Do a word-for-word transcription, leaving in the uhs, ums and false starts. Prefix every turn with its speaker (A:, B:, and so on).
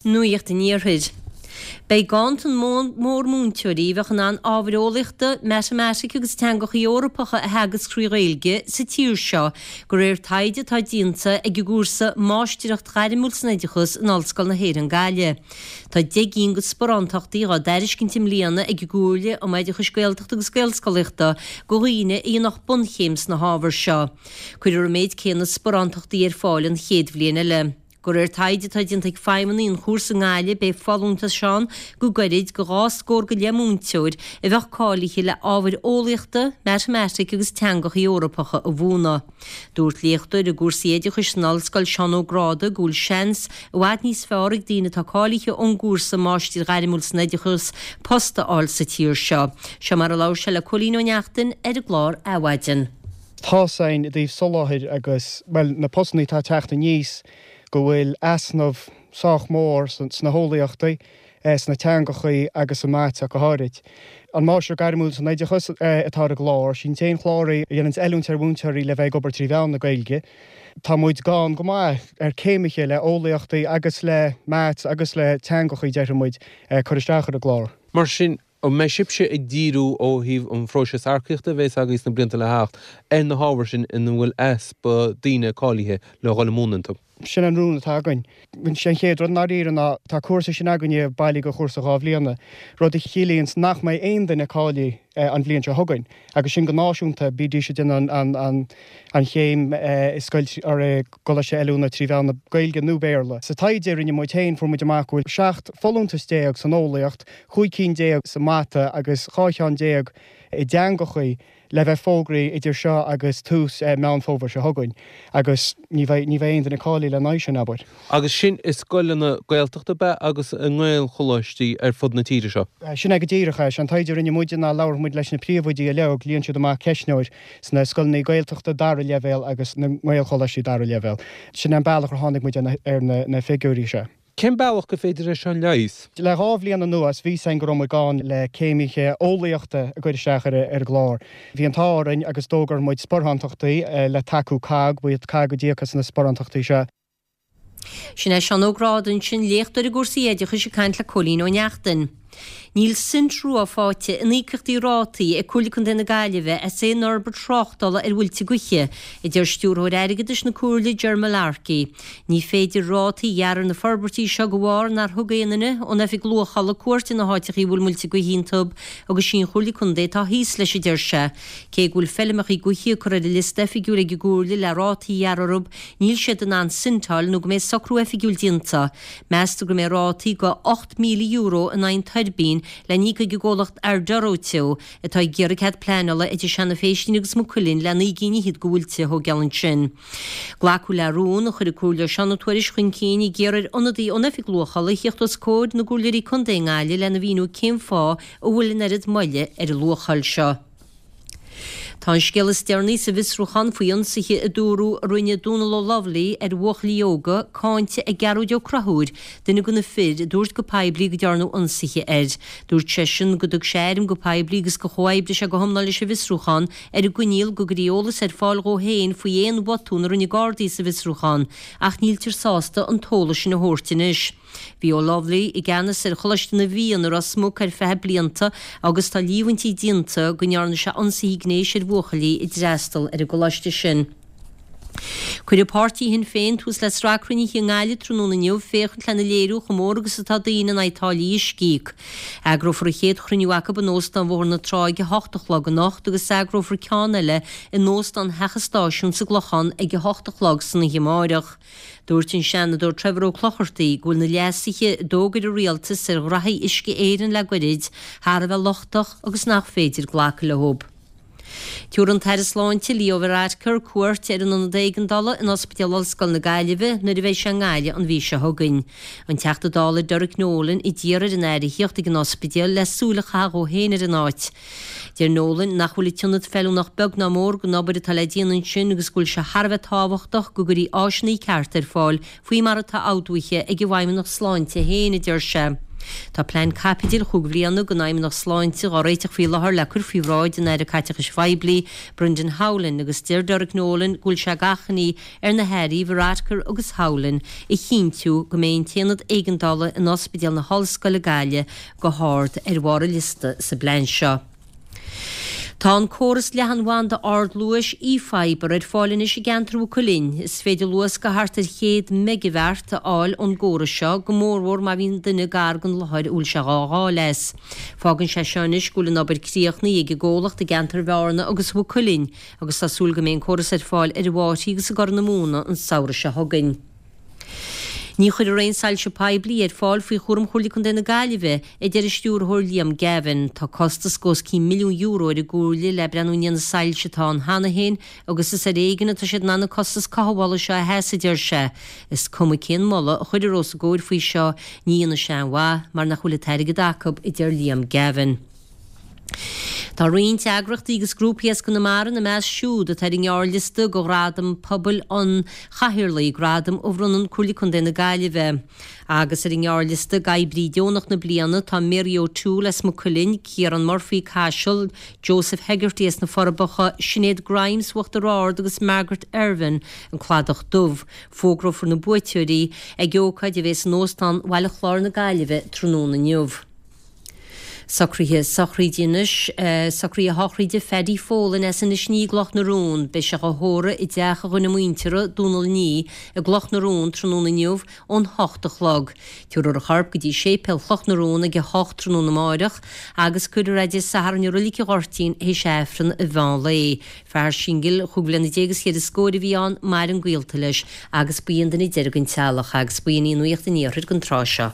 A: Nuacht an Iarthair. Beidh ganntan mór múinteoirí a bheadh in ann ábhair eolaíochta, matamaitice agus teangacha Eorpacha a theagasc trí Ghaeilge sa tír seo, de réir taighde atá déanta ag an gcúrsa Máistreacht Ghairmiúil san Oideachas in Ollscoil na hÉireann Gaillimh. Tá deich gcinn de sparántachtaí á dtairiscint i mbliana ag an gComhairle um Oideachais Gaeltachta agus Gaelscolaíochta do dhaoine a dhéanfadh bunchéim sna hábhair seo. Cuirfear an méid céanna sparántachtaí ar fáil an chéad bhliain eile. De réir taighde atá déanta ag feidhmeannaigh an chúrsa i nGaillimh beidh folúntais ann go gairid de dhá scór go leith múinteoir a bheadh cáilithe le ábhair eolaíochta, matamaitice agus teangacha Eorpacha a mhúineadh. Dúirt léachtóir i gcúrsaí oideachais san ollscoil Seán Ó Gráda go bhfuil seans i bhfad níos fearr ag daoine atá cáilithe ón gcúrsa Máistir Ghairmiúil san Oideachas post a fháil sa tír seo. Seo mar a labhair sé le Cóilín Ó Neachtain ar an gclár Adhmhaidin.
B: Tá sin i dtaobh soláthair agus well na postanna atá ag teacht aníos go bhfuil easnamh sách mór sna heolaíochtaí, sna teangachaí agus sa mata go háirid. An Máistir Gairmiúil san Oideachas atá ar an gclár, sin an t-aon chlár é a dhéanann oiliúint ar mhúinteoirí le bheith ag obair trí mheán na Gaeilge. Tá muid gann go maith ar céimithe le eolaíochtaí agus le maths agus le teangachaí déarfaidh muid cur isteach ar an gclár.
C: Mar sin, an mbeidh sibhse ag díriú ó thaobh an phróiseas earcaíochta a bheas agaibh sna blianta le theacht ar na hábhair sin ina bhfuil easpa daoine cáilithe le dhul i múineadh iontu?
B: Sin an rún atá againn. Sé an chéad rud i ndáiríre ná tá cúrsa sin againne bailí do chúrsa dhá bhliana, rud a chiallaíonns nach mbeidh aon duine cáilithe an bhliain seo chugainn, agus sin go náisiúnta, bídís ag déanamh an an an chéim i scoil or i gcoláiste oiliúna trí mheán na Gaeilge nó Béarla. Sa taighde a rinne muid féin fuair muid amach go bhfuil seacht folúntas déag san eolaíocht, chúig cinn déag sa mata agus dhá cheann déag i dteangachaí le bheith fógraithe idir seo agus tús Meán Fómhair seo chugainn agus ní bheidh ní bheidh aon duine cáilithe lena aghaidh sin, abair.
C: Agus sin i scoileanna Gaeltachta ab ea agus i nGaelcholáistí ar fud na tíre seo?
B: Sin é go díreach é. Sé an taighde a rinne muide ná labhair muid leis na príomhoidí uilig, líon siad amach ceistneoir sna scoileanna Gaeltachta dara leibhéal agus na nGaelcholáistí dara leibhéal. Sin é an bealach ar tháinig muid ar na figiúirí seo.
C: Cén bealach gur féidir é seo a leigheas?
B: Le dhá bhliain anuas bhí fhios againn go raibh muid gann le céimithe eolaíochta a gcur isteach ar an gclár. Bhí an t-ádh orainn agus d'fhógair muid sparántachtaí le tacú cogg, ba iad cogg a d'íoc as na sparántachtaí seo.
A: Sin é Seán Ó Gráda ansin, léachtóir i gcúrsaí oideachais ag caint le Cóilín Ó Neachtain. Níl sint rua faighte in íocaíochtaí rátaí ag Comhairle Contae na Gaillimhe as aon fhorbairt tráchtála ar mhuilte gaoithe, a deir Stiúrthóir Airgeadais na Comhairle Ger Mullarkey. Ní féidir rátaí a ghearradh ar na forbairtí seo de bharr nár thug aon duine ón Oifig Luachála cuairt ar na háiteachaí a bhfuil muilte gaoithe iontu agus sí an Chomhairle Contae atá thíos leis, a deir sé. Cé go bhfuil feilmeachaí gaoithe curtha ar an liosta oifigiúil ag an gComhairle le rátaí a ghearradh orthu, níl siad in ann sint a fháil nó go mbeidh socrú oifigiúil déanta. Meastar go mbeidh rátaí de ocht míle euro in aghaidh an tuirbín le n-íoc ag an gcomhlacht Arduro Teo atá ag iarraidh cead pleanála idir Seanadh Phéistín agus Maigh Cuilinn le naoi gcinn fhichead de mhuilte a thógáil ansin. Glacadh le rún a chuir an Comhairleoir Seán Ó Tuairisg chun cinn ag iarraidh ar ionadaí ón Oifig Luachála a thíocht os comhair na gComhairleoirí Contae i nGaillimh lena mhíniú cén fáth a bhfuil an oiread moille ar an luacháil seo. Tá an scéal is deireanaí sa bhfiosrúchán faoi ionsaithe a dúradh a rinne Dónal O'Lovely ar bhuachaillí óga cáinte ag Gearóid Ó Conchúir, duine de na fir a dúirt go poiblí go ndearnadh ionsaithe air. Dúirt seisean go dtug sé airm go poiblí agus gur chomhoibrigh sé go hiomlán leis an bhfiosrúchán ar an gcoinníoll go gcuirfí eolas ar fáil dhó féin faoi aon bhotún a rinne Gardaí sa bhfiosrúchán, ach níltear sásta an t-eolas sin a thabhairt anois. Bhí O'Lovely i gceannas ar Choláiste na bhFiann i Ros Muc ar feadh blianta agus tá líomhaintí déanta go ndearna sé ionsaithe gnéis ar bhuachaillí a d'fhreastal ar an gcoláiste sin. Cuirfidh páirtí Shinn Féin tús le sraith cruinnithe i nGaillimh tráthnóna inniu féachaint lena léiriú chomh mór agus atá daoine in aghaidh táillí uisce a íoc. Eagrófar an chéad chruinniú acu in Óstán Bhóthar na Trá ag a hocht a chlog anocht agus eagrófar ceann eile in Óstán Theach an Stáisiúin sa gClochán ag a hocht a chlog san oíche amárach. Dúirt an Seanadóir Trevor Ó Clochartaigh go bhfuil na leasuithe a d'fhógair an Rialtas ar ghraithí Uisce Éireann le goirid thar a bheith lochtach agus nach féidir glacadh leo. Tabharfaidh an tAire Sláinte Leo Varadkar cuairt ar an Ionad Éigeandála in Ospidéal Ollscoile na Gaillimhe nuair a bheidh sé i nGaillimh an mhí seo chugainn. An Teachta Dála Derek Nolan a d'iarr ar an Aire a thíocht ag an ospidéal le súil a chaitheamh dhó féin ar an áit. Deir Nolan nach bhfuil an t-ionad feiliúnach beag ná mór don obair atá le déanamh ansin agus go bhfuil sé thar a bheith tábhachtach go gcuirfí áiseanna cearta ar fáil faoi mar atá ordóithe ag an bhFeidhmeannacht Sláinte féin, a deir sé. Tá plean caipitil chúig bhliana don Fheidhmeannacht Sláinte á réiteach faoi láthair le cur faoi bhráid an Aire Caiteachais Phoiblí, Brendan Howlin, agus deir Derek Nolan go bhfuil sé d'achainí ar na hAirí Varadkar agus Howlin a chinntiú go mbeidh an t-aonad éigeandála in Ospidéal na hOllscoile Gaillimh go hard ar bharr an liosta sa bplean seo. Tá an córas leathanbhanda ardluais eFibre ar fáil anois i gceantar Mhaigh Cuilinn. Is féidir luas de thart ar chéad meigeabheart a fháil ón gcóras seo, go mórmhór má bhíonn duine gar don láthair a bhfuil sé dhá fháil as. Fágann sé seo anois go bhfuil an obair críochnaithe ag an gcomhlacht i gceantar Bhearna agus Mhaigh Cuilinn agus tá súil go mbeidh an córas ar fáil ar an bhFáirche agus i gCorr na Móna an samhradh seo chugainn. Ní chuirfear aon soilse poiblí ar fáil faoi chúram Chomhairle Contae na Gaillimhe, a deir an Stiúrthóir Liam Gavin. Tá costas de os cionn milliún euro ar an gComhairle le breathnú i ndiaidh na soilse atá ann cheana féin agus is ar éigean atá siad in ann an costas cothabhála seo a sheasamh, a deir sé. Is cuma cén moladh a chuirfear os a gcomhair faoi seo, ní dhéanfaidh sé aon mhaith mar nach bhfuil an t-airgead acu, a deir Liam Gavin. Tá roinnt eagrachtaí agus grúpaí as Conamara ina measc siúd atá ar an ngearrliosta do Ghradam Pobail an Chathaoirligh, gradam a bhronnann Comhairle Contae na Gaillimhe. Agus ar an ngearrliosta d'Oibrí Deonach na Bliana tá Mary O'Toole as Maigh Cuilinn, Ciarán Murphy, Caiseal, Joseph Hegarty as na Forbacha, Sinéad Grimes, Uachtar Ard agus Margaret Irvine, An Cladach Dubh. Fógrófar na buaiteoirí ag ócáid a bheas in Óstán Bhaile Chláir na Gaillimhe tráthnóna inniu. Socruithe sochraide anois, Socruithe sochraide Phaddy Folan as Inis Ní i gCloch na Rón. Beidh sé á thórramh i dteach a dhuine muinteartha, Dónal Ní, i gCloch na Rón tráthnóna inniu ón hocht a chlog. Tabharfar a chorp go dtí Séipéal Chloch na Rón ag a hocht tráthnóna amáireach agus cuirfear é Dé Sathairn i Roilig an Ghoirtín théis Aifreann an mheán lae. Fear singil chúig bhliana déag is cheithre scóir a bhí ann, maireann gaolta leis agus ba é an duine deiridh den teaghlach agus b'in í nuacht an iarthair don tráth seo.